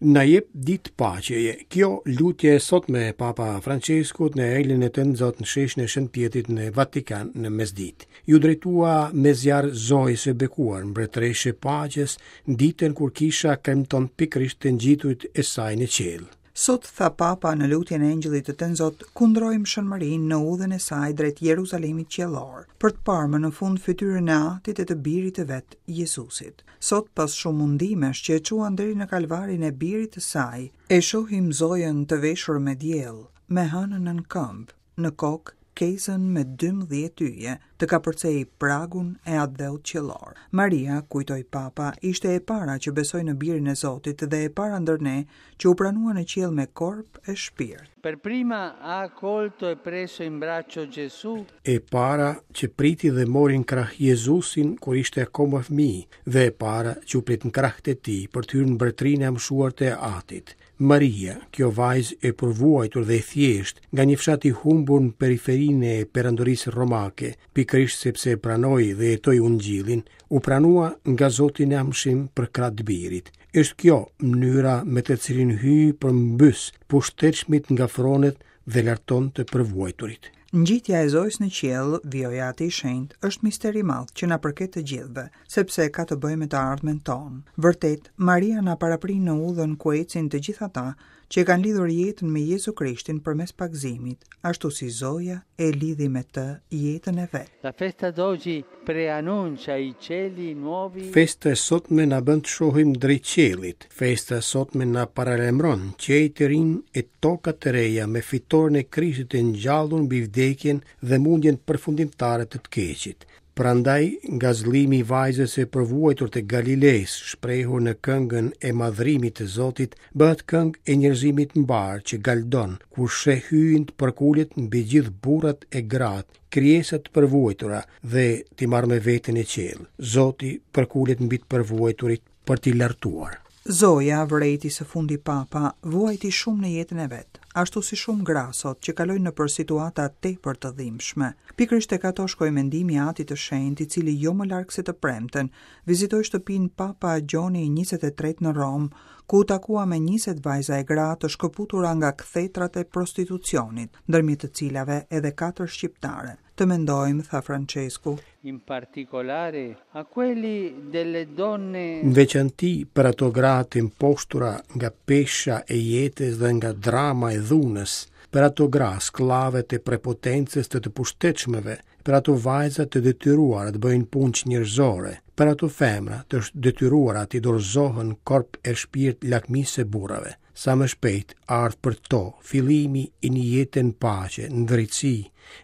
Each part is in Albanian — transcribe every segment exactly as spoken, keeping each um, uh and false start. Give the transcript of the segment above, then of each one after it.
Na jep ditë paqeje. Kjo lutje e sotme e Papa Franceskut në Engjëllin e Tënzot në sheshin e Shën Pjetrit në Vatikan në mesditë. Iu drejtua me zjarr Zojës së bekuar, mbretëreshë e paqes, në ditën kur kisha kremton pikërisht të ngjiturit e saj në qiell. Sot, tha Papa në lutjen e Engjëllit të Tënzot, kundrojmë Shën Marinë në udhën e saj drejt Jeruzalemit qiellor, për të parë më në fund fytyrën e Atit e të Birit të vet, Jezusit. Sot, pas shumë mundimesh që e çuan deri në kalvarin e Birit të saj, e shohim Zojën të veshur me diell, me hënën nën këmbë, në kokë kezën me dymbëdhjetë yje, të kapërcej pragun e atdheut qiellor. Maria, kujtoi Papa, ishte e para që besoi në Birin e Zotit dhe e para ndër ne që u pranua në qiell me korp e shpirt. Per prima ha accolto e preso in braccio Gesù. E para që priti dhe mori në krah Jezusin kur ishte akoma fëmijë dhe e para që u prit në krah të tij për të hyrë në mbretërinë e amshuar të Atit. Maria, kjo vajzë e përvuajtur dhe e thjeshtë, nga një fshat i humbur në periferinë e perandorisë romake, pikërisht sepse pranoi dhe jetoi ungjillin, u pranua nga Zoti në amshim për krah të birit. Është kjo mënyra me të cilën Hyji përmbys pushtetshmit nga fronet dhe larton të përvuajturit. Ngjitja e Zojës në qiell, vijoi Ati i Shenjtë, është mister i madh që na përket të gjithëve, sepse ka të bëjë me të ardhmen tonë. Vërtet, Maria na paraprin në udhën ku ecin të gjithë ata që e kanë lidhur jetën me Jezu Krishtin përmes pagëzimit, ashtu si Zoja e lidhi me të jetën e vet. La festa d'oggi preannuncia i cieli nuovi. Festa e sotme na bën të shohim drejt qiellit. Festa e sotme na paralajmëron qiej të rinj e toka të reja me fitoren e Krishtit të ngjallur mbi vdekjen dhe mundjen përfundimtare të të keqit. Prandaj, ngazëllimi i vajzës së përvuajtur të Galilesë, shprehur në këngën e madhrimit të Zotit, bëhet këngë e njerëzimit mbar që galdon, kur sheh Hyjin të përkulet mbi gjithë burrat e gratë, krijesat të përvuajtura dhe t'i marrë me vete në qiell. Zoti përkulet mbi të përvuajturit për t'i lartuar. Zoja, vërejti së fundi Papa, vuajti shumë në jetën e vet, ashtu si shumë gra sot që kalojnë nëpër situata tepër të dhimbshme. Pikërisht tek ato shkoi mendimi i Atit të Shenjtë, i cili jo më larg se të premten vizitoi shtëpinë Papa Gjoni i njëzet e tretë në Romë, ku u takua me njëzet vajza e gra të shkëputura nga kthetrat e prostitucionit, ndërmjet të cilave edhe katër shqiptare. Të mendojmë, tha Francesku, in particolare a quelli delle donne në veçanti për ato gra të imposhtura nga pesha e jetës dhe nga drama e dhunës, për ato gra sklave të prepotencës të të pushtetshmëve, për ato vajza të detyruara të bëjnë punë njerëzore, për ato femra të detyruara të dorëzohen korp e shpirt lakmisë së burrave. Sa më shpejt ardh për to fillimi i një jete në paqe, në drejtësi,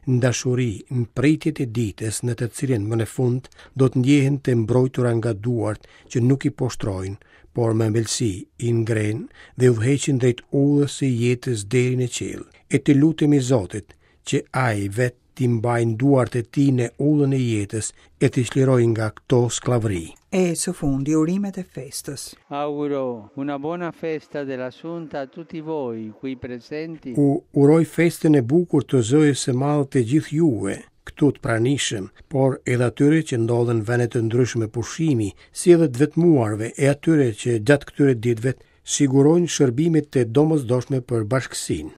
në dashuri, në pritjet e ditës në të cilën më në fund do të ndjehen të mbrojtura nga duart që nuk i poshtrojnë, por me ëmbëlsi i ngrenë dhe udhëheqin drejt udhës së jetës deri në qiell. E të lutemi Zotit që Ai vetë t'i mbajë duart e tij në udhën e jetës e t'i çlirojë nga këto skllavëri. E së fundi urimet e festës. Auguro una buona festa dell'Assunta a tutti voi qui presenti. U uroj festën e bukur të Zojës së Madhe të gjithë juve, këtu të pranishëm, por edhe atyre që ndodhen në vende të ndryshme pushimi, si edhe të vetmuarve e atyre që gjatë këtyre ditëve sigurojnë shërbimet të domosdoshme për bashkësinë.